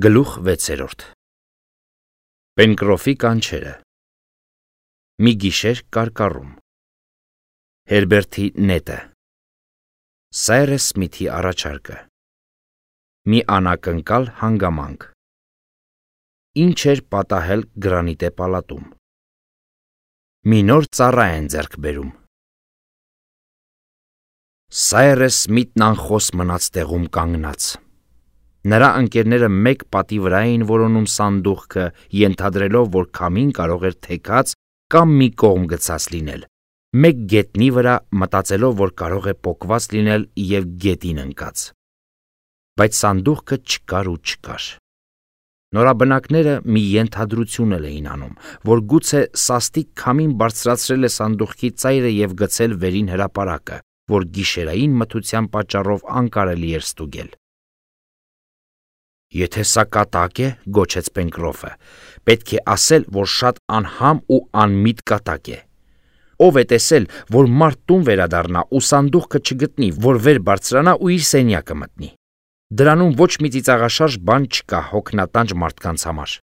Գլուխ 6. Պենկրոֆի կանչերը։ Մի գիշեր կարկառում։ Հերբերտի նետը։ Սայրես Սմիթի առաջարկը։ Մի անակնկալ հանգամանք։ Ինչ էր պատահել Գրանիտե պալատում։ Մի նոր ծառա են ձեռք բերում։ Սայրես Սմիթն անխոս մնաց տեղում կանգնած։ Նրա ընկերները մեկ պատի վրա էին որոնում սանդուղքը, ենթադրելով, որ քամին կարող էր թեքած կամ մի կողմ գցած լինել, մեկ գետնի վրա մտածելով, որ կարող է պոկված լինել և գետին ընկած։ Բայց սանդուղքը չկար ու չկար։ Նորաբնակները մի ենթադրություն էին անում, որ գուցե սաստիկ քամին բարձրացրել է սանդուղքի ծայրը և գցել վերին հրապարակը, որ գիշերային մթության պատճառով անկարելի էր ստուգել։ Եթե սա կատակ է, գոչեց Պենկրոֆը, պետք է ասել, որ շատ անհամ ու անմիտ կատակ է։ Ով է տեսել, որ մարդ տուն վերադառնա ու սանդուղքը չգտնի, որ վեր բարձրանա ու իր սենյակը մտնի։ Դրանում ոչ մի ծիծաղաշարժ բան չկա հոգնատանջ մարդկանց համար։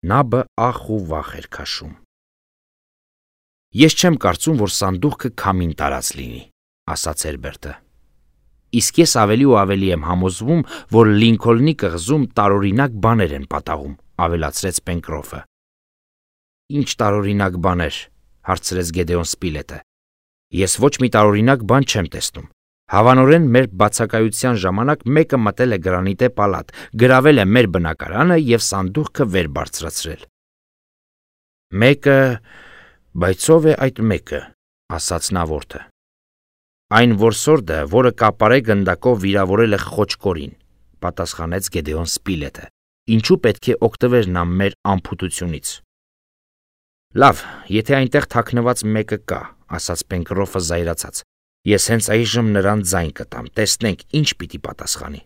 Նաբը ախ ու վախ էր քաշում։ Ես չեմ կարծում, որ սանդուղքը քամին տարած լինի, ասաց Հերբերտը։ Իսկ ես ավելի ու ավելի եմ համոզվում, որ Լինքոլնի կղզում տարօրինակ բաներ են պատահում, ավելացրեց Պենկրոֆը։ Ինչ տարօրինակ բաներ, հարցրեց Գեդեոն Սպիլետը։ Ես ոչ մի տարօրինակ բան չեմ տեսնում։ Հավանորեն մեր բացակայության ժամանակ մեկը մտել է Գրանիտե պալատ, գրավել է մեր բնակարանը և սանդուղքը վեր բարձրացրել։ Մեկը, բայց ով է այդ մեկը, ասաց Նավորդը։ Այն որսորդը, որը կապարե գնդակով վիրավորել է խոճկորին, պատասխանեց Գեդեոն Սպիլետը։ Ինչու պետք է օգտվեր նա մեր անփութությունից։ Լավ, եթե այնտեղ թաքնված մեկը կա, ասաց Պենկրոֆը զայրացած։ Ես հենց այժմ նրան ձայն կտամ, տեսնենք ինչ պիտի պատասխանի։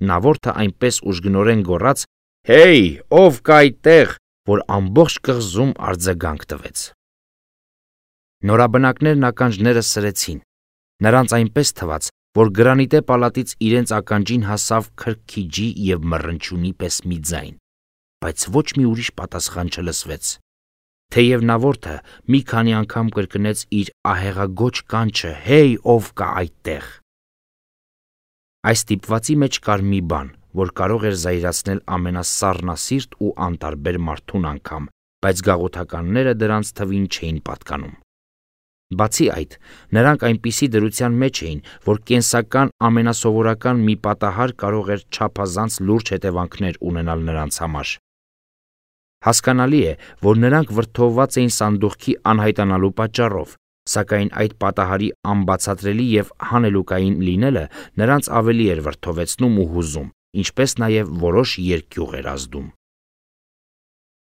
Նավորդը այնպես ուժգնորեն գոռաց. Հեյ, ով կա այդտեղ, որ ամբողջ կղզում արձագանք տվեց։ Նորաբնակներն ականջները սրեցին։ Նրանց այնպես թվաց, որ Գրանիտե պալատից իրենց ականջին հասավ քրքիջի և մռնչյունի պես մի ձայն, բայց ոչ մի ուրիշ պատասխան չլսվեց։ Թեև Նավորդը մի քանի անգամ կրկնեց իր ահեղագոչ կանչը. «Հեյ, ով կա այդտեղ»։ Այս ստիպվածի մեջ կար մի բան, որ կարող էր զայրացնել ամենասառնասիրտ ու անտարբեր մարդուն անգամ, բայց գաղութականները դրանց թվին չէին պատկանում։ Բացի այդ, նրանք այնպիսի դրության մեջ էին, որ կենսական ամենասովորական մի պատահար կարող էր չափազանց լուրջ հետևանքներ ունենալ նրանց համար։ Հասկանալի է, որ նրանք վրդովված էին սանդուղքի անհայտանալու պատճառով, սակայն այդ պատահարի անբացատրելի և հանելուկային լինելը նրանց ավելի էր վրդովեցնում ու հուզում, ինչպես նաև որոշ երկյուղ էր ազդում։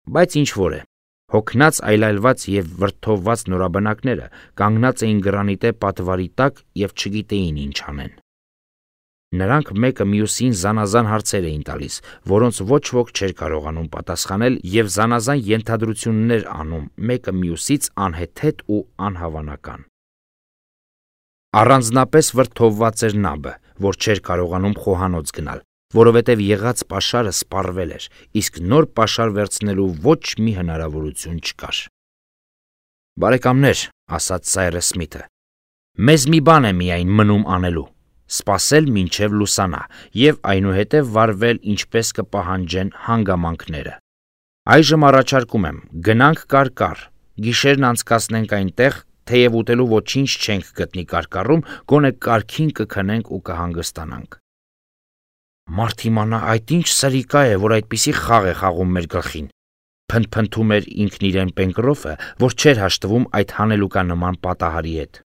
Բայց ինչ-որ է, հոգնած, այլայլված և վրդովված նորաբնակները կանգնած էին Գրանիտե պատվարի տակ և չգիտեին ինչ անեն։ Նրանք մեկը մյուսին զանազան հարցեր էին տալիս, որոնց ոչ ոք չէր կարողանում պատասխանել և զանազան ենթադրություններ անում մեկը մյուսից անհեթեթ ու անհավանական։ Առանձնապես վրդովված էր Նաբը, որ չէր կարողանում խոհանոց գնալ, որովհետև եղած պաշարը սպառվել էր, իսկ նոր պաշար վերցնելու ոչ մի հնարավորություն չկար։ Բարեկամներ, ասաց Սայրես Սմիթը, մեզ մի բան է միայն մնում անելու. սպասել մինչև լուսանա և այնուհետև վարվել ինչպես կպահանջեն հանգամանքները։ Այժմ առաջարկում եմ, գնանք կարկառ, գիշերն անցկացնենք այնտեղ, թեև ուտելու ոչինչ չենք գտնի կարկառում, գոնե կարգին կքնենք ու կհանգստանանք։ Մարդ իմանա, այդ ինչ սրիկա է, որ այդպիսի խաղ է խաղում մեր գլխին, փնթփնթում էր ինքն իրեն Պենկրոֆը, որ չէր հաշտվում այդ հանելուկանման պատահարի հետ։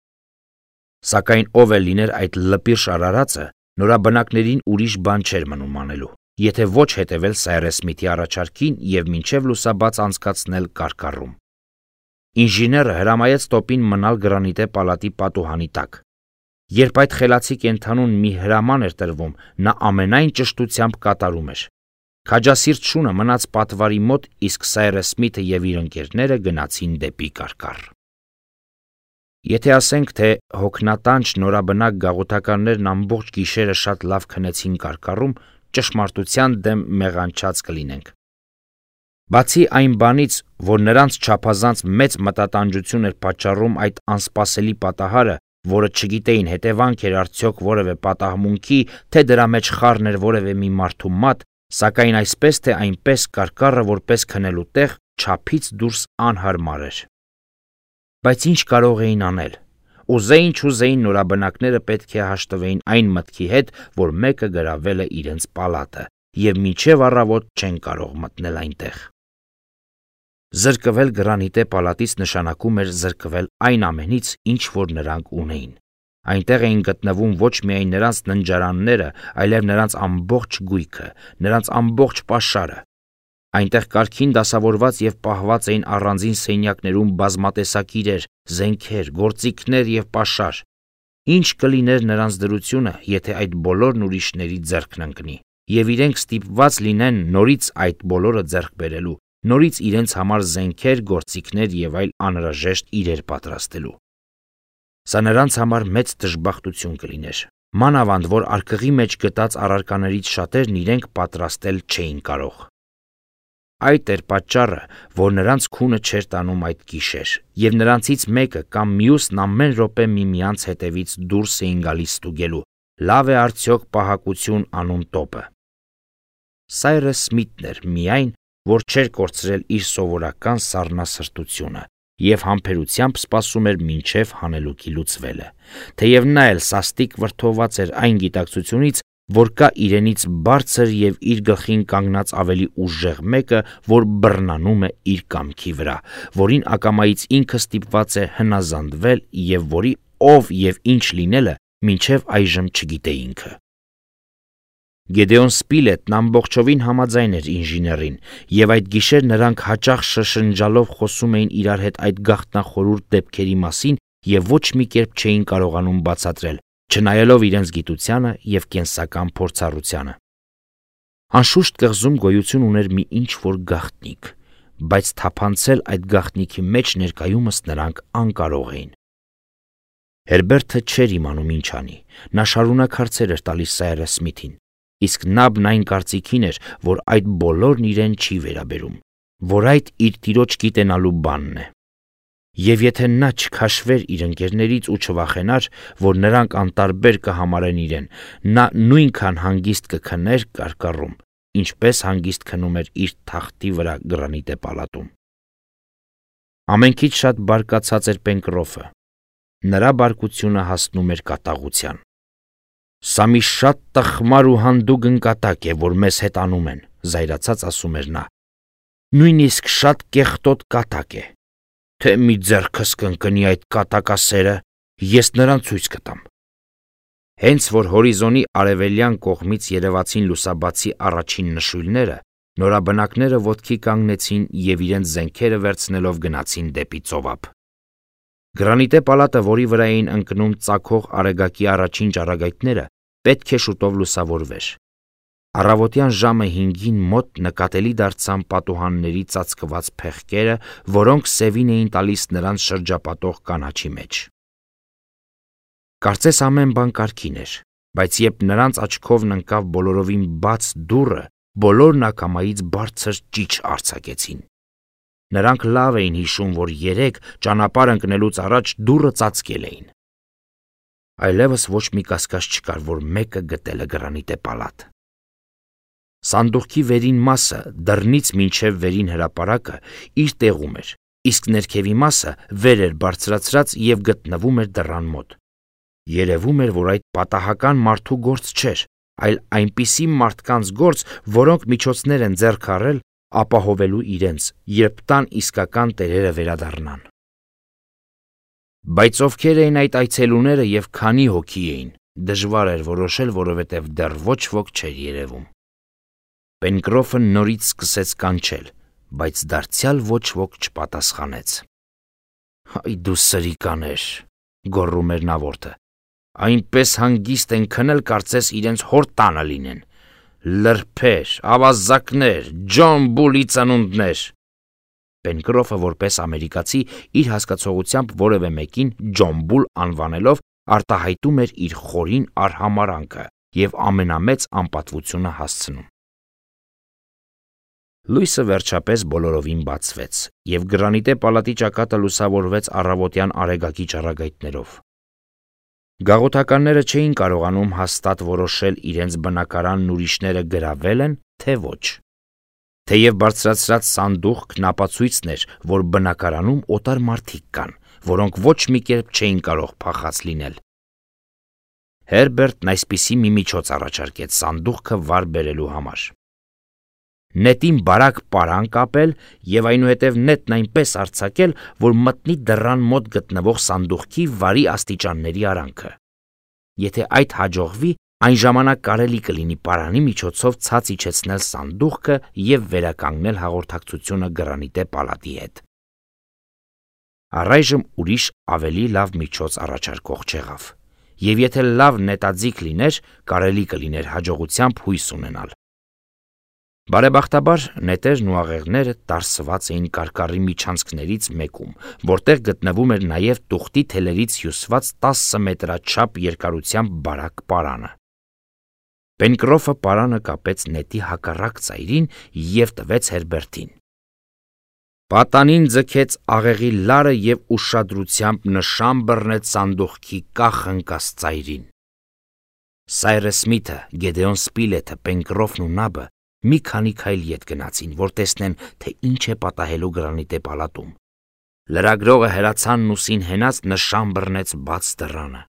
Սակայն ով էլ լիներ այդ լպիրշ արարածը, նորաբնակներին ուրիշ բան չէր մնում անելու, եթե ոչ հետևել Սայրես Սմիթի առաջարկին և մինչև լուսաբաց անցկացնել կարկառում։ Ինժեները հրամայեց տոպին մնալ Գրանիտե պալատի պատուհանի տակ։ Երբ այդ խելացի կենդանուն մի հրաման էր տրվում, նա ամենայն ճշտությամբ կատարում էր։ Քաջասիրտ շունը մնաց պատվարի մոտ, իսկ Սայրես Սմիթը և իր ընկերները գնացին դեպի կարկառ։ Եթե ասենք, թե հոգնատանջ նորաբնակ գաղութականներն ամբողջ գիշերը շատ լավ քնեցին կարկառում, ճշմարտության դեմ մեղանչած կլինենք։ Բացի այն բանից, որ նրանց չափազանց մեծ մտատանջություն էր պատճառում այդ անսպասելի պատահարը, որը չգիտեին հետևանք էր արդյոք որևէ պատահմունքի, թե դրա մեջ խառն էր որևէ մի մարդու մատ, սակայն այսպես թե այնպես կարկառը որպես քնելու տեղ չափից դուրս անհարմար էր։ Բայց ինչ կարող էին անել։ Ուզեին չուզեին նորաբնակները պետք է հաշտվեին այն մտքի հետ, որ մեկը գրավել է իրենց պալատը, եւ մինչև առավոտ չեն կարող մտնել այնտեղ։ Զրկվել գրանիտե պալատից նշանակում էր զրկվել այն ամենից, ինչ որ նրանք ունեին։ Այնտեղ էին գտնվում ոչ միայն նրանց ննջարանները, այլև նրանց ամբողջ գույքը, նրանց ամբողջ պաշարը։ Այնտեղ կարգին դասավորված եւ պահված էին առանձին սենյակներում բազմատեսակ իրեր, զենքեր, գործիքներ եւ պաշար։ Ինչ կլիներ նրանց դրությունը, եթե այդ բոլորն ուրիշների ձեռքն ընկնի, եւ իրենք ստիպված լինեն նորից այդ բոլորը ձեռք բերելու, նորից իրենց համար զենքեր, գործիքներ եւ այլ անհրաժեշտ իրեր պատրաստելու։ Սա նրանց համար մեծ դժբախտություն կլիներ։ Մանավանդ, որ արկղի մեջ գտած առարկաներից շատերն իրենք պատրաստել չէին կարող։ Այդ էր պատճառը, որ նրանց քունը չէր տանում այդ գիշեր, եւ նրանցից մեկը կամ մյուսն ամեն րոպե միմյանց հետևից դուրս էին գալիս ստուգելու, լավ է արդյոք պահակություն անուն տոպը։ Սայրս Սմիթն էր միայն, որ չէր կորցրել իր սովորական սառնասրտությունը եւ համբերությամբ սպասում էր մինչև հանելուկի լուծվելը, թեև նա էլ սաստիկ վրդոված էր այն գիտակցությունից, որ կա իրենից բարձր եւ իր գլխին կանգնած ավելի ուժեղ մեկը, որ բռնանում է իր կամքի վրա, որին ակամայից ինքը ստիպված է հնազանդվել եւ որի ով եւ ինչ լինելը մինչև այժմ չգիտե ինքը։ Գեդեոն Սպիլետն ամբողջովին համաձայն էր ինժեներին, եւ այդ գիշեր նրանք հաճախ շշնջալով խոսում էին իրար հետ այդ գաղտնախորուրդ դեպքերի մասին եւ ոչ մի կերպ չէին կարողանում բացատրել, չնայելով իրենց գիտությանը եւ կենսական փորձառությանը։ Անշուշտ կղզում գոյություն ուներ մի ինչ-որ գաղտնիք, բայց թափանցել այդ գաղտնիքի մեջ ներկայումս նրանք անկարող էին։ Հերբերտը չէր իմանում ինչ անի, նա շարունակ հարցեր էր տալիս Սայրս Սմիթին, իսկ Նաբն այն կարծիքին էր, որ այդ բոլորն իրեն չի վերաբերում, որ այդ իր տիրոջ գիտենալու բանն է։ Եվ եթե նա չքաշվեր իր ընկերներից ու չվախենար, որ նրանք անտարբեր կհամարեն իրեն, նա նույնքան հանգիստ կքներ կարկառում, ինչպես հանգիստ քնում էր իր թախտի վրա գրանիտե պալատում։ Ամենքից շատ բարկացած էր Պենկրոֆը։ Նրա բարկությունը հասնում էր կատաղության։ Սա մի շատ տխմար ու հանդուգ ընկատակ է, որ մեզ հետ անում են, զայրացած ասում էր նա։ Նույնիսկ շատ կեղտոտ կատակ է։ Թե մի ձեռքս կընկնի այդ կատակասերը, ես նրան ցույց կտամ։ Հենց որ հորիզոնի արևելյան կողմից երևացին լուսաբացի առաջին նշույլները, նորաբնակները ոտքի կանգնեցին եւ իրենց զենքերը վերցնելով գնացին դեպի ծովափ։ Գրանիտե պալատը, որի վրա էին ընկնում ծագող արեգակի առաջին ճառագայթները, պետք է շուտով լուսավորվեր։ Առավոտյան ժամը 5-ին մոտ նկատելի դարձան պատուհանների ծածկված փեղկերը, որոնք սևին էին տալիս նրանց շրջապատող կանաչի մեջ։ Կարծես ամեն բան կարգին էր, բայց երբ նրանց աչքովն ընկավ բոլորովին բաց դուռը, բոլորն ակամայից բարձր ճիչ արձակեցին։ Նրանք լավ էին հիշում, որ երեկ ճանապարհ ընկնելուց առաջ դուռը ծածկել էին։ Այլևս ոչ մի կասկած չկար, որ մեկը գտել է գրանիտե պալատ։ Սանդուղքի վերին մասը, դռնից մինչև վերին հրապարակը, իր տեղում էր, իսկ ներքևի մասը վեր էր բարձրացրած եւ գտնվում էր դռան մոտ։ Երևում էր, որ այդ պատահական մարդու գործ չէր, այլ այնպիսի մարդկանց գործ, որոնք միջոցներ են ձեռք առել ապահովելու իրենց, երբ տան իսկական տերերը վերադառնան։ Բայց ովքեր էին այդ այցելուները եւ քանի հոգի էին, դժվար էր որոշել, որովհետեւ դեռ ոչ ոք չէր երևում։ Պենկրոֆը նորից սկսեց կանչել, բայց դարձյալ ոչ ոք չպատասխանեց։ Հայ դու սրիկաներ, գոռում էր նավորդը, այնպես հանգիստ են քնել, կարծես իրենց հոր տանը լինեն։ Լրբեր, ավազակներ, Ջոն Բուլի ծնունդներ։ Պենկրոֆը որպես ամերիկացի իր հասկացողությամբ որևէ մեկին Ջոն Բուլ անվանելով արտահայտում էր իր խորին արհամարանքը, և ամենամեծ անպատվությունը հասցնում։ Լույսը վերջապես բոլորովին բացվեց, և գրանիտե պալատի ճակատը լուսավորվեց առավոտյան արեգակի ճառագայթներով։ Գաղութականները չէին կարողանում հաստատ որոշել իրենց բնակարանն ուրիշները գրավել են, թե ոչ։ Թեև բարձրացրած սանդուղքն ապացույցն էր, որ բնակարանում օտար մարդիկ կան, որոնք ոչ մի կերպ չէին կարող փախած լինել։ Հերբերտն այսպիսի մի միջոց առաջարկեց սանդուղքը վար բերելու համար։ Նետին բարակ պարան կապել և այնուհետև նետն այնպես արձակել, որ մտնի դռան մոտ գտնվող սանդուղքի վարի աստիճանների արանքը։ Եթե այդ հաջողվի, այն ժամանակ կարելի կլինի պարանի միջոցով ցած իջեցնել սանդուղքը և վերականգնել հաղորդակցությունը գրանիտե պալատի հետ։ Առայժմ ուրիշ ավելի լավ միջոց առաջարկող չեղավ, և եթե լավ նետաձիգ լիներ, կարելի կլիներ հաջողությամբ հույս ունենալ։ Բարեբախտաբար նետերն ու աղեղները տարսված էին կարկառի միջանցքներից մեկում, որտեղ գտնվում էր նաև տուղտի թելերից հյուսված 10 մետրաչափ երկարությամբ բարակ պարանը։ Պենկրոֆը պարանը կապեց նետի հակառակ ծայրին և տվեց Հերբերտին։ Պատանին ձգեց աղեղի լարը և ուշադրությամբ նշան բռնեց սանդուղքի կախ-ընկած ծայրին։ Սայրս Սմիթը, Գեդեոն Սպիլեթը, Պենկրոֆն ու Նաբը մի քանի քայլ ետ գնացին, որ տեսնեն, թե ինչ է պատահելու գրանիտե պալատում։ Լրագրողը հրացանն ուսին հենած նշան բռնեց բաց դռանը։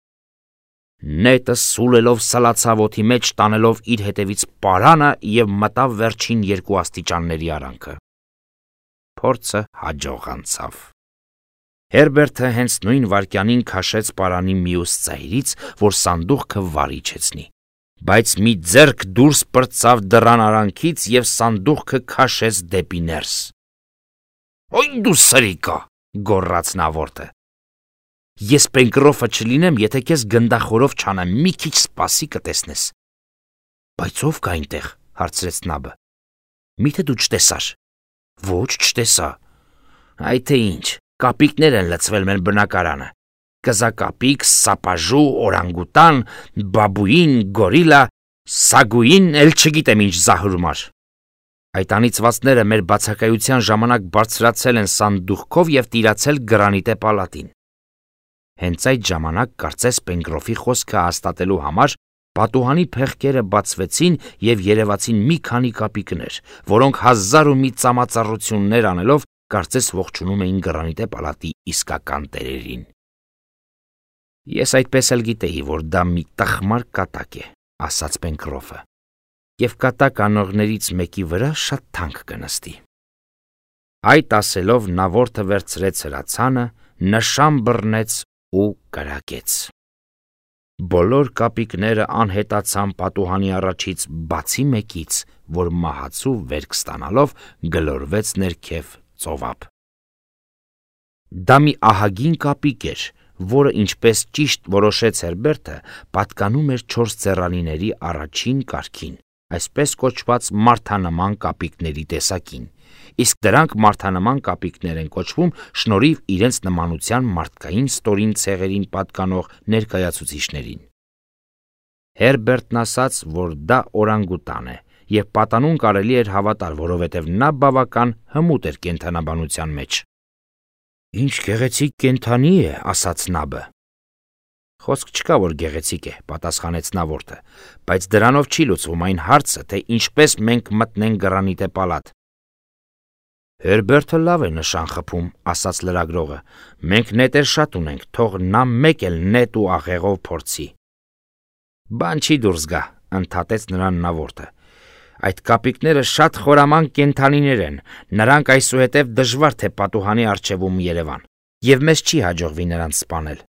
Նետը սուլելով սլացավ օդի մեջ, տանելով իր հետևից պարանը և մտավ վերջին 2 աստիճանների արանքը։ Փորձը հաջող անցավ։ Հերբերտը հենց նույն վայրկյանին քաշեց պարանի մյուս ծայրից, որ սանդուղքը վար իջեցնի, բայց մի ձեռք դուրս պրծավ դռան արանքից և սանդուղքը քաշեց դեպի ներս։ «Ոյ դու սրիկա», գոռաց նավորդը։ «Ես Պենկրոֆը չլինեմ, եթե քեզ գնդախորով չանեմ, մի քիչ սպասի կտեսնես»։ «Բայց ով կա այնտեղ», հարցրեց Նաբը։ «Միթե դու չտեսար»։ «Ոչ, չտեսա»։ «Այ թե ինչ, կապիկներ են լցվել մեր բնակարանը։ Կզակապիկ, սապաժու, օրանգուտան, բաբուին, գորիլա, սագուին, էլ չգիտեմ ինչ զահուրմար։ Այդ անիծվածները մեր բացակայության ժամանակ բարձրացել են սանդուղքով և տիրացել գրանիտե պալատին»։ Հենց այդ ժամանակ կարծես Պենկրոֆի խոսքը հաստատելու համար պատուհանի փեղկերը բացվեցին և երևացին մի քանի կապիկներ, որոնք 1001 ծամածառություններ անելով կարծես ողջունում էին գրանիտե պալատի իսկական տերերին։ «Ես այդպես էլ գիտեի, որ դա մի տխմար կատակ է», ասաց Պենկրոֆը, «և կատակ անողներից մեկի վրա շատ թանկ կնստի»։ Այդ ասելով նավորդը վերցրեց հրացանը, նշան բռնեց ու կրակեց։ Բոլոր կապիկները անհետացան պատուհանի առաջից, բացի մեկից, որ մահացու վերք ստանալով գլորվեց ներքև ծովափ։ Դա մի ահագին կապիկ էր, որը, ինչպես ճիշտ որոշեց Հերբերտը, պատկանում էր 4 ծեռանիների առաջին կարգին, այսպես կոչված մարդանման կապիկների տեսակին, իսկ դրանք մարդանման կապիկներ են կոչվում շնորհիվ իրենց նմանության մարդկային ստորին ցեղերին պատկանող ներկայացուցիչներին։ Հերբերտն ասաց, որ դա օրանգուտան է, և պատանուն կարելի էր հավատալ, որովհետև նա բավական հմուտ էր կենդանաբանության մեջ։ «Ինչ գեղեցիկ կենդանի է», ասաց Նաբը։ «Խոսք չկա, որ գեղեցիկ է», պատասխանեց նավորդը, «բայց դրանով չի լուծվում այն հարցը, թե ինչպես մենք մտնենք գրանիտե պալատ»։ «Հերբերտը լավ է նշան խփում», ասաց լրագրողը։ «Մենք նետեր շատ ունենք, թող նա մեկ էլ նետ ու աղեղով փորձի»։ «Բան չի դուրս գա», ընդհատեց նրան նավորդը։ «Այդ կապիկները շատ խորամանկ կենդանիներ են, նրանք այսուհետև դժվար թե պատուհանի առջևում երևան, և մեզ չի հաջողվի նրանց սպանել։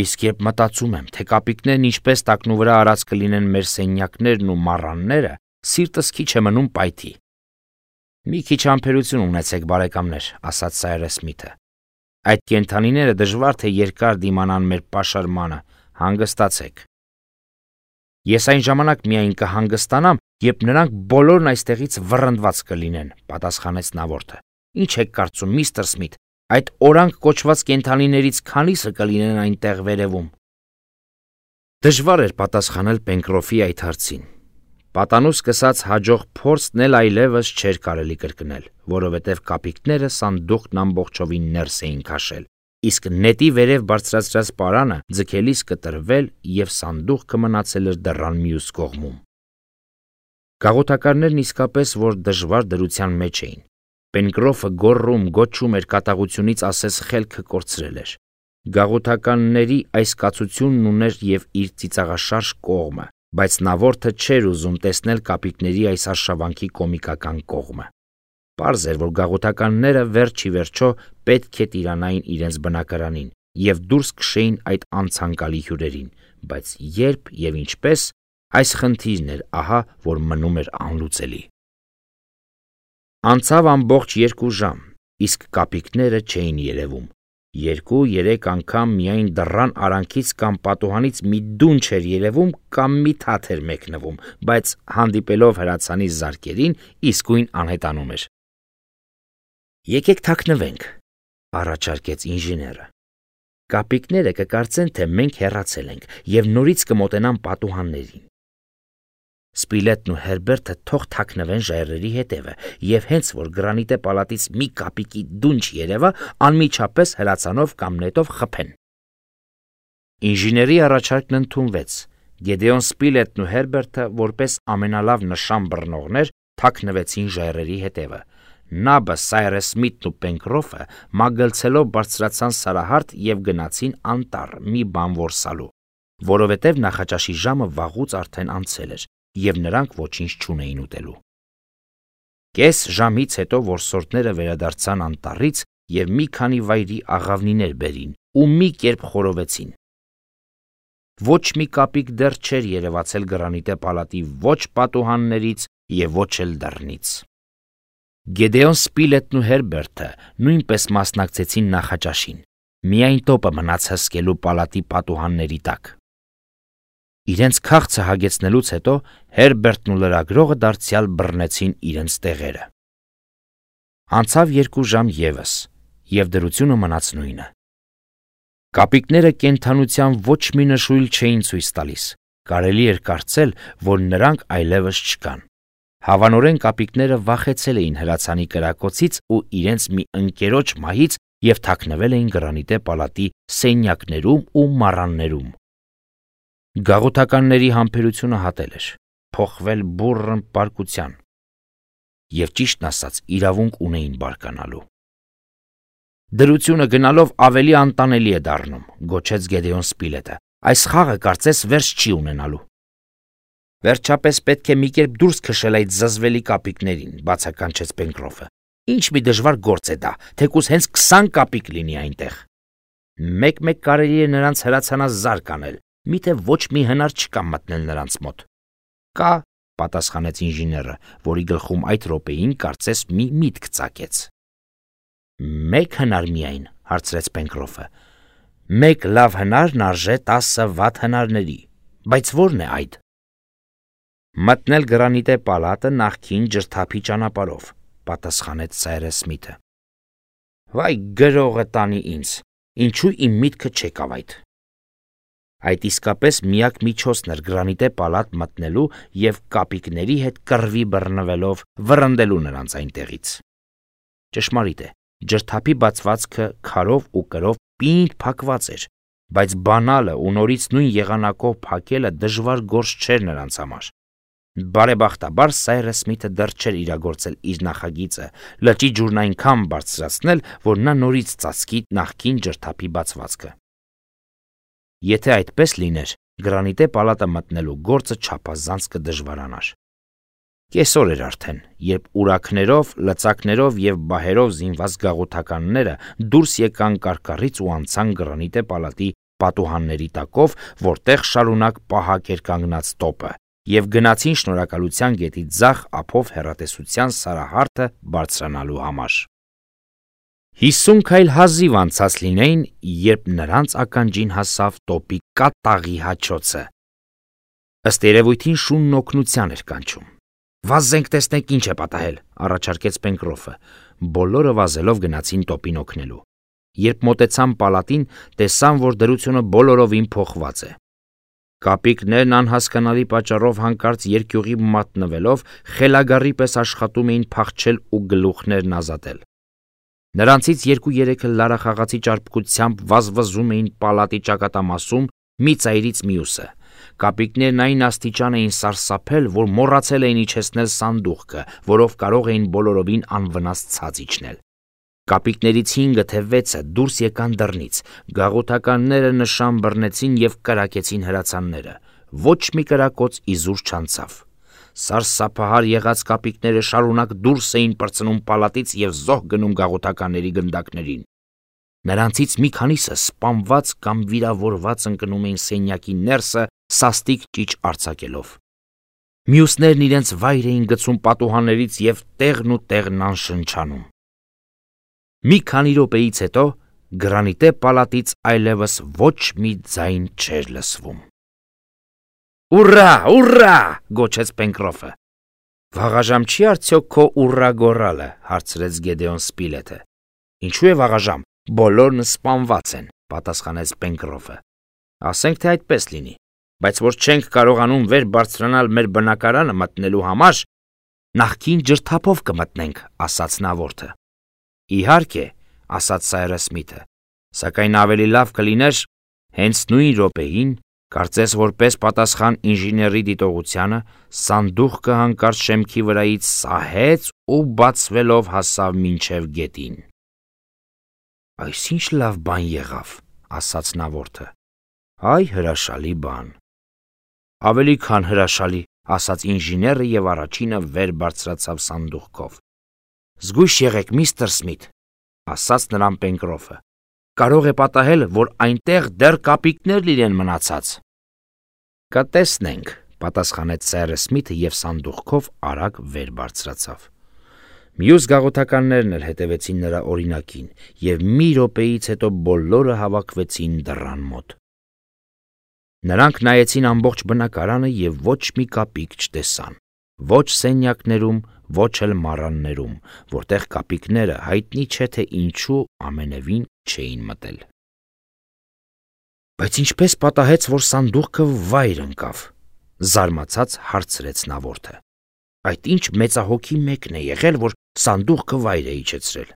Իսկ երբ մտածում եմ, թե կապիկներն ինչպես տակնու վրա արած կլինեն մեր սենյակներն ու մառանները, սիրտս քիչ է մնում պայթի»։ «Մի քիչ համբերություն ունեցեք, բարեկամներ», ասաց Սայրս Սմիթը։ «Այդ կենդանիները դժվար թե երկար դիմանան մեր պաշարմանը, հանգստացեք»։ «Ես այն ժամանակ միայն կհանգստանամ, երբ նրանք բոլորն այստեղից վռնդված կլինեն», պատասխանեց նավորդը։ «Ինչ եք կարծում, միստր Սմիթ, այդ օրանք կոչված կենդանիներից քանիսը կլինեն այնտեղ վերևում»։ Դժվար էր պատասխանել Պենկրոֆի այդ հարցին։ Պատանու սկսած հաջող փորձն էլ այլևս չէր կարելի կրկնել, որովհետև կապիկները սանդուղքն ամբողջովին ներս էին քաշել, իսկ նետի վերև բարձրացրած պարանը ձգելիս կտրվել և սանդուղքը մնացել էր դռան մյուս կողմում։ Գաղութականներն իսկապես որ դժվար դրության մեջ էին։ Պենկրոֆը գոռում, գոչում էր, կատաղությունից ասես խելքը կորցրել էր։ Գաղութականների այս կացությունն ուներ և իր ծիծաղաշարժ կողմը, բայց նա որդը չէր ուզում տեսնել կապիկների այս արշավանքի կոմիկական կողմը։ Պարզ էր, որ գաղութականները վերջ ի վերջո պետք է տիրանային իրենց բնակարանին և դուրս քշեին այդ անցանկալի հյուրերին, բայց երբ և ինչպես, այս խնդիրն էր ահա, որ մնում էր անլուծելի։ Անցավ ամբողջ 2 ժամ, իսկ կապիկները չէին երևում։ 2-3 անգամ միայն դռան արանքից կամ պատուհանից մի դուն չէր երևում կամ մի թաթ էր մեկնվում, բայց հանդիպելով հրացանի զարկերին իսկույն անհետանում էր։ «Եկեք թաքնվենք», առաջարկեց ինժեները։ «Կապիկները կկարծեն, թե մենք հեռացել ենք և նորից կմոտենան պատուհաններին։ Սպիլետն ու Հերբերտը թող թաքնվեն ժայռերի հետևը և հենց որ գրանիտե պալատից մի կապիկի դուն չերևա, անմիջապես հրացանով կամ նետով խփեն»։ Ինժեների առաջարկն ընդունվեց։ Գեդեոն Սպիլետն ու Հերբերտը որպես ամենալավ նշան բռնողներ թաքնվեցին ժայռերի հետևը։ Նաբը, Սայրես Սմիթն ու Պենկրոֆը մագլցելով բարձրացան սարահարթ և գնացին անտառ մի բան որսալու, որովհետև նախաճաշի ժամը վաղուց արդեն անցել էր, և նրանք ոչինչ չունեին ուտելու։ Կես ժամից հետո որսորդները վերադարձան անտառից և մի քանի վայրի աղավնիներ բերին ու մի կերպ խորովեցին։ Ոչ մի կապիկ դեռ չէր երևացել գրանիտե պալատի ոչ պատուհաններից և ոչ էլ դռնից։ Գեդեոն Սպիլետն ու Հերբերտը նույնպես մասնակցեցին նախաճաշին, միայն տոպը մնաց հսկելու պալատի պատուհանների տակ։ Իրենց քաղցը հագեցնելուց հետո Հերբերտն ու լրագրողը դարձյալ բռնեցին իրենց տեղերը։ Անցավ 2 ժամ ևս, և դրությունը մնաց նույնը։ Կապիկները կենդանության ոչ մի նշույլ չէին ցույց տալիս, կարելի էր կարծել, որ նրանք այլևս չկան։ Հավանորեն կապիկները վախեցել էին հրացանի կրակոցից ու իրենց մի ընկերոջ մահից և թաքնվել էին գրանիտե պալատի սենյակներում ու մառաններում։ Գաղութականների համբերությունը հատել էր, փոխվել բուռն պարկության, և ճիշտն ասած իրավունք ունեին բարկանալու։ «Դրությունը գնալով ավելի անտանելի է դառնում», գոչեց Գեդեոն Սպիլետը։ «Այս խաղը կարծես վերջ չի ունենալու»։ «Վերջապես պետք է մի կերպ դուրս քշել այդ զզվելի կապիկներին», բացականչեց Պենկրոֆը։ «Ինչ մի դժվար գործ է դա, թեկուզ հենց 20 կապիկ լինի այնտեղ»։ «Մեկ-մեկ կարելի է նրանց հրացանազարկ անել, միթե ոչ մի հնար չկա մտնել նրանց մոտ»։ «Կա», պատասխանեց ինժեները, որի գլխում այդ րոպեին կարծես մի միտք ծագեց։ «Մեկ հնար միայն», հարցրեց Պենկրոֆը։ «Մեկ լավ հնարն արժե 10 վատ հնարների, բայց ո՞րն է այդ»։ «Մտնել գրանիտե պալատը նախկին ջրթափի ճանապարհով», պատասխանեց Սայրես Սմիթը։ «Վայ գրողը տանի ինձ, ինչու իմ միտքը չեկավ այդ»։ Այդ իսկապես միակ միջոցն էր գրանիտե պալատ մտնելու և կապիկների հետ կռվի բռնվելով վռնդելու նրանց այնտեղից։ Ճշմարիտ է, ջրթափի բացվածքը քարով ու կրով պինդ փակված էր, բայց բանալը ու նորից նույն եղանակով փակելը դժվար գործ չէր նրանց համար։ Բարեբախտաբար Սայրես Սմիթը դեռ չէր իրագործել իր նախագիծը լճի ջուրն այնքան բարձրացնել, որ նա նորից ծածկի նախկին ջրթափի բացվածքը։ Եթե այդպես լիներ, գրանիտե պալատը մտնելու գործը չափազանց կդժվարանար։ Կեսօր էր արդեն, երբ ուրաքներով, լծակներով և բահերով զինված գաղութականները դուրս եկան կարկառից ու անցան գրանիտե պալատի պատուհանների տակով, որտեղ շարունակ պահակ էր կանգնած տոպը, և գնացին Շնորհակալության գետի ձախ ափով հեռատեսության սարահարթը բարձրանալու համար։ 50 քայլ հազիվ անցած լինեին, երբ նրանց ականջին հասավ տոպի կատաղի հաչոցը։ Ըստ երևույթին շունն օգնության էր կանչում։ «Վազենք տեսնենք ինչ է պատահել», առաջարկեց Պենկրոֆը։ Բոլորը վազելով գնացին տոպին օգնելու։ Երբ մոտեցան պալատին, տեսան, որ դրությունը բոլորովին փոխված է։ Կապիկներն անհասկանալի պատճառով հանկարծ երկյուղի մատնվելով խելագարի պես աշխատում էին փախչել ու գլուխներն ազատել։ Նրանցից 2-3-ը լարախաղացի ճարպկությամբ վազվզում էին պալատի ճակատամասում մի ծայրից մյուսը։ Կապիկներն այն աստիճան էին սարսափել, որ մոռացել էին իջեցնել սանդուղքը, որով կարող էին բոլորովին անվնաս ցած իջնել։ Կապիկներից 5-ը թե 6-ը դուրս եկան դռնից, գաղութականները նշան բռնեցին եւ կրակեցին հրացանները։ Ոչ մի կրակոց իզուր չանցավ։ Սարսափահար եղած կապիկները շարունակ դուրս էին պրծնում պալատից եւ զոհ գնում գաղութականների գնդակներին։ Նրանցից մի քանիսը սպանված կամ վիրավորված ընկնում էին սենյակի ներսը սաստիկ ճիչ արձակելով։ Մյուսներն իրենց վայր էին գցում պատուհաններից եւ տեղն ու տեղն անշնչանում։ Մի քանի րոպեից հետո գրանիտե պալատից այլևս ոչ մի ձայն չէր լսվում։ «Ուռա, ուռա!» գոչեց Պենկրոֆը։ «Վաղաժամ չի արդյոք քո ուռա գոռալը?» հարցրեց Գեդեոն Սպիլեթը։ «Ինչու է վաղաժամ, բոլորն սպանված են», պատասխանեց Պենկրոֆը։ «Ասենք թե այդպես լինի, բայց որ չենք կարողանում վեր բարձրանալ մեր բնակարանը մտնելու համար, նախքին ջրթափով կմտնենք», ասաց նավորդը։ «Իհարկե», ասաց Սայրս Սմիթը, «սակայն ավելի լավ կլիներ հենց նույն րոպեին, կարծես որպես պատասխան ինժեների դիտողությանը, սանդուղքը հանկարծ շեմքի վրայից սահեց ու բացվելով հասավ մինչև գետին»։ «Այս ինչ լավ բան եղավ», ասաց նավորդը։ «Այ հրաշալի բան»։ «Ավելի քան հրաշալի», ասաց ինժեները եւ առաջինը վեր բարձրացավ սանդուղքով։ «Զգույշ եղեք, միստր Սմիթ», ասաց նրան Պենկրոֆը։ «Կարող է պատահել, որ այնտեղ դեռ կապիկներ լինեն մնացած»։ «Կտեսնենք», պատասխանեց Սայրս Սմիթը եւ սանդուղքով արագ վեր բարձրացավ։ Մյուս գաղութականներն էլ հետևեցին նրա օրինակին եւ մի րոպեից հետո բոլորը հավաքվեցին դռան մոտ։ Նրանք նայեցին ամբողջ բնակարանը եւ ոչ մի կապիկ չտեսան, ոչ սենյակներում, ոչ էլ մառաններում, որտեղ կապիկները հայտնի չէ թե ինչու ամենևին չէին մտել։ «Բայց ինչպես պատահեց, որ սանդուղքը վայր ընկավ», զարմացած հարցրեց նավորդը։ «Այդ ինչ մեծահոգի մեկն է եղել, որ սանդուղքը վայր է իջեցրել»։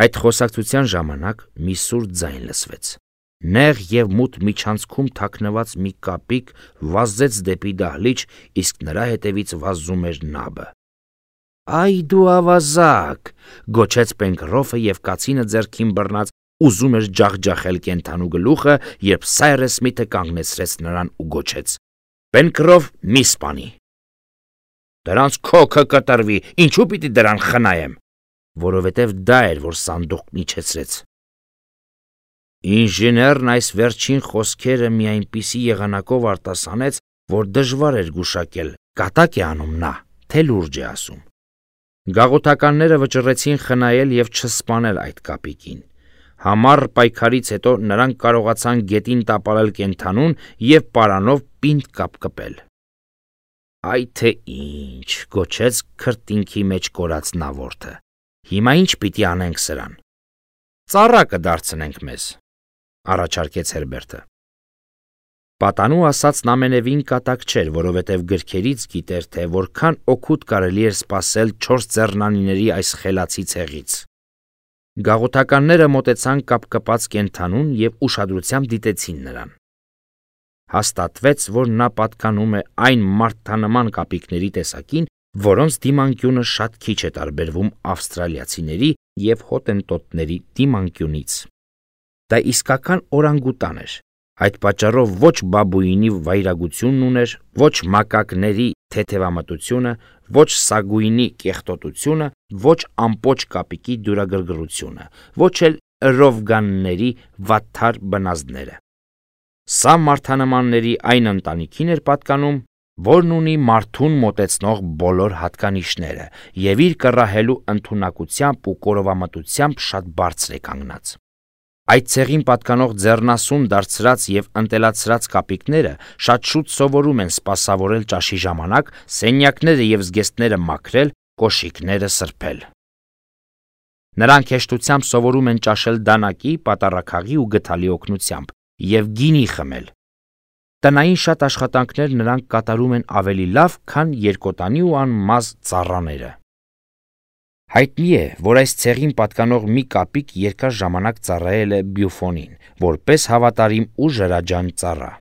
Այդ խոսակցության ժամանակ մի սուր ձայն լսվեց։ Նեղ եւ մութ միջանցքում թաքնված մի կապիկ վազեց դեպի դահլիճ, իսկ նրա հետևից վազում էր նաբը։ «Այ դու ավազակ», գոչեց Պենկրոֆը եւ կացինը ձեռքին բռնած ուզում էր ջախջախել կենդանու գլուխը, երբ Սայրս Սմիթը կանգնեցրեց նրան ու գոչեց. «Պենկրոֆ, մի սպանի»։ «Դրանց քոքը կտրվի, ինչու պիտի դրան խնայեմ»։ «Որովհետև դա էր, որ սանդուղքն իջեցրեց»։ Ինժեներն այս վերջին խոսքերը մի այնպիսի եղանակով արտասանեց, որ դժվար էր գուշակել, կատակ է անում նա, թե լուրջ է ասում։ Գաղութականները վճռեցին խնայել եւ չսպանել այդ կապիկին։ Համառ պայքարից հետո նրանք կարողացան գետին տապալել կենդանուն եւ պարանով պինդ կապկպել։ «Այ թե ինչ», գոչեց քրտինքի մեջ կորած նավորդը։ «Հիմա ինչ պիտի անենք սրան»։ «Ծառա կդարձնենք մեզ», առաջարկեց Հերբերտը։ Պատանու ասածն ամենևին կատակ չէր, որովհետև գրքերից գիտեր, թե որքան օգուտ կարելի էր սպասել 4 ձեռնանիների այս խելացի ցեղից։ Գաղութականները մոտեցան կապկպած կենդանուն եւ ուշադրությամբ դիտեցին նրան։ Հաստատվեց, որ նա պատկանում է այն մարդանման կապիկների տեսակին, որոնց դիմանկյունը շատ քիչ է տարբերվում ավստրալիացիների եւ հոտենտոտների դիմանկյունից։ Դա իսկական օրանգուտան էր։ Այդ պատճառով ոչ բաբուինի վայրագությունն ուներ, ոչ մակակների թեթևամտությունը, ոչ սագույնի կեղտոտությունը, ոչ ամպոչ կապիկի դյուրագրգռությունը, ոչ էլ ռովգանների վատթար բնազդները։ Սա մարդանմանների այն ընտանիքին էր պատկանում, որն ունի մարդուն մոտեցնող բոլոր հատկանիշները եւ իր կռահելու ընդունակությամբ ու կորովամտությամբ շատ բարձր է կանգնած։ Այդ ցեղին պատկանող ձեռնասուն դարձրած եւ ընտելացրած կապիկները շատ շուտ սովորում են սպասավորել ճաշի ժամանակ, սենյակները եւ զգեստները մաքրել, կոշիկները սրբել։ Նրանք հեշտությամբ սովորում են ճաշել դանակի, պատառաքաղի ու գդալի օգնությամբ եւ գինի խմել։ Տնային շատ աշխատանքներ նրանք կատարում են ավելի լավ, քան երկոտանի ու անմազ ծառաները։ Հայտնի է, որ այս ցեղին պատկանող մի կապիկ երկար ժամանակ ծառայել է Բյուֆոնին, որպես հավատարիմ ու ժրաջան ծառա։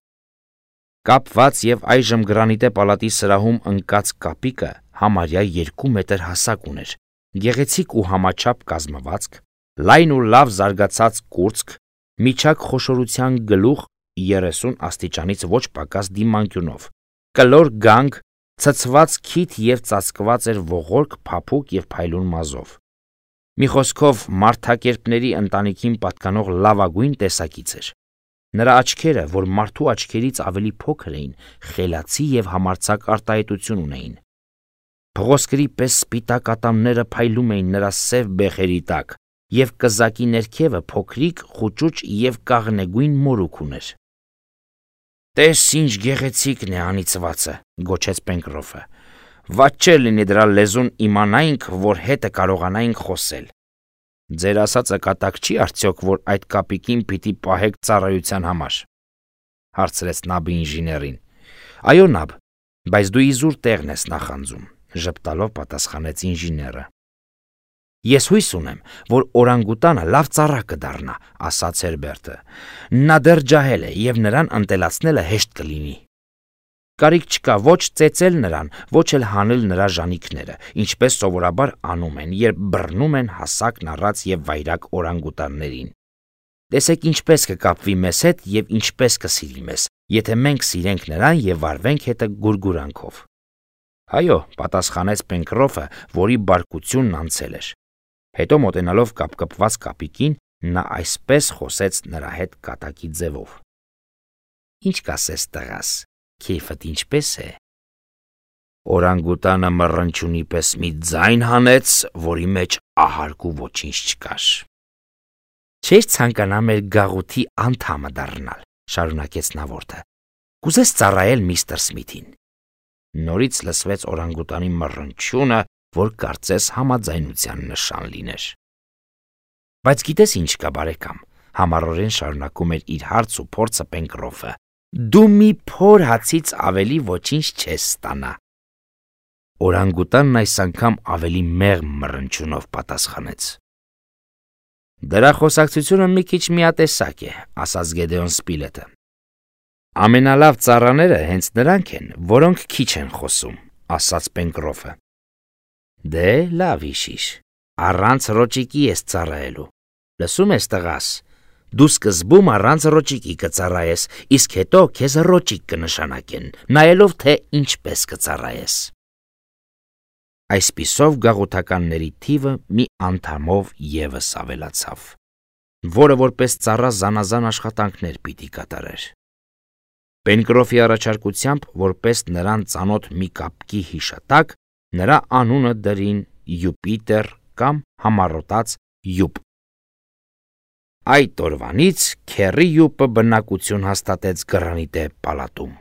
Կապված եւ այժմ Գրանիտե պալատի սրահում ընկած կապիկը համարյա 2 մետր հասակ ուներ, գեղեցիկ ու համաչափ կազմվածք, լայն ու լավ զարգացած կուրծք, միջակ խոշորության գլուխ 30 աստիճանից ոչ պակաս դիմանկյունով, կլոր գանգ, ցցված քիթ եւ ծածկված էր ողորկ, փափուկ եւ փայլուն մազով։ Մի խոսքով մարդակերպների ընտանիքին պատկանող լավագույն տեսակից էր։ Նրա աչքերը, որ մարդու աչքերից ավելի փոքր էին, խելացի եւ համարձակ արտահայտություն ունեին։ Փղոսկրի պես սպիտակ ատամները փայլում էին նրա սև բեխերի տակ, եւ կզակի ներքևը փոքրիկ, խուճուճ եւ կաղնեգույն մորուք ուներ։ «Տես ինչ գեղեցիկն է անիծվածը», գոչեց Պենկրոֆը։ «Վատ չէ լինի դրա լեզուն իմանայինք, որ հետը կարողանայինք խոսել։ Ձեր ասածը կատակ չի արդյոք, որ այդ կապիկին պիտի պահեք ծառայության համար», հարցրեց Նաբը ինժեներին։ «Այո, Նաբ, բայց դու իզուր տեղն ես նախանձում», ժպտալով պատասխանեց ինժեները։ «Ես հույս ունեմ, որ օրանգուտանը լավ ծառա կդառնա», ասաց Հերբերտը։ «Նա դեռ ջահել է եւ նրան ընտելացնելը հեշտ կլինի։ Կարիք չկա ոչ ծեծել նրան, ոչ էլ հանել նրա ժանիքները, ինչպես սովորաբար անում են, երբ բռնում են հասակն առած եւ վայրագ օրանգուտաններին։ Տեսեք ինչպես կկապվի մեզ հետ եւ ինչպես կսիրի մեզ, եթե մենք սիրենք նրան եւ վարվենք հետը գուրգուրանքով»։ «Այո», պատասխանեց Պենկրոֆը, որի բարկությունն անցել էր։ Հետո մոտենալով կապկպված կապիկին, նա այսպես խոսեց նրա հետ կատակի ձևով. «Ինչ կասես տղաս, քեֆդ ինչպես է»։ Օրանգուտանը մռնչյունի պես մի ձայն հանեց, որի մեջ ահարկ ու ոչինչ չկար։ «Չէր ցանկանա մեր գաղութի անդամը դառնալ», շարունակեց նավորդը։ «Կուզես ծառայել միստր Սմիթին»։ Նորից լսվեց օրանգուտանի մռնչյունը, որ կարծես համաձայնության նշան լիներ։ «Բայց գիտես ինչ կա, բարեկամ», համառորեն շարունակում էր իր հարց ու փորձը Պենկրոֆը, «դու մի փոր հացից ավելի ոչինչ չես ստանա»։ Օրանգուտանն այս անգամ ավելի մեղմ մռնչյունով պատասխանեց։ «Դրա խոսակցությունը մի քիչ միատեսակ է», ասաց Գեդեոն Սպիլետը։ «Ամենալավ ծառաները հենց նրանք են, որոնք քիչ են խոսում», ասաց Պենկրոֆը։ «Դե լավ իշիր, առանց ռոճիկի ես ծառայելու, լսում ես տղաս, դու սկզբում առանց ռոճիկի կծառայես, իսկ հետո քեզ ռոճիկ կնշանակեն, նայելով թե ինչպես կծառայես»։ Այսպիսով գաղութականների թիվը մի անդամով եւս ավելացավ, որը որպես ծառա զանազան աշխատանքներ պիտի կատարեր։ Պենկրոֆի առաջարկությամբ, որպես նրան ծանոթ մի կապկի հիշատակ, նրա անունը դրին Յուպիտեր կամ համառոտած Յուպ։ Այդ օրվանից Քերի Յուպը բնակություն հաստատեց Գրանիտե պալատում։